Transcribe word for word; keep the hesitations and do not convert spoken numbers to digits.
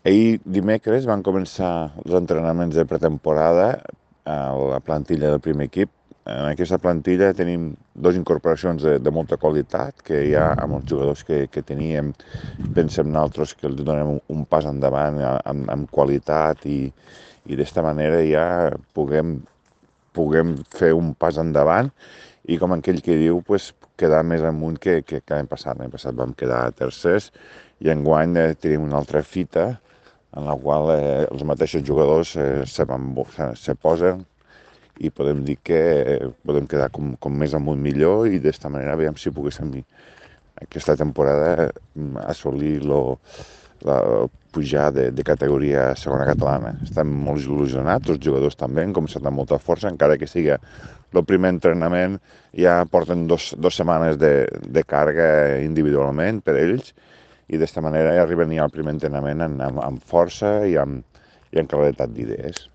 Ahir dimecres van començar els entrenaments de pretemporada a la plantilla del primer equip. En aquesta plantilla tenim dues incorporacions de, de molta qualitat, que ja amb els jugadors que, que teníem pensem nosaltres que els donem un, un pas endavant amb, amb qualitat i, i d'esta manera ja puguem, puguem fer un pas endavant i com aquell que diu, pues, quedar més amunt que, que, que l'any passat. L'any passat vam quedar tercers i enguany eh, tenim una altra fita en la qual eh, els mateixos jugadors eh, se, van, se, se posen i podem dir que eh, podem quedar com, com més amunt millor i d'esta manera veiem si poguéssim aquesta temporada assolir lo, la, pujar de, de categoria a segona catalana. Estem molt il·lusionats, els jugadors també han començat amb molta força, encara que sigui el primer entrenament, ja porten dos, dos setmanes de, de càrrega individualment per ells i d'esta manera ja arriben ja al primer entrenament amb, amb, amb força i amb, i amb claretat d'idees.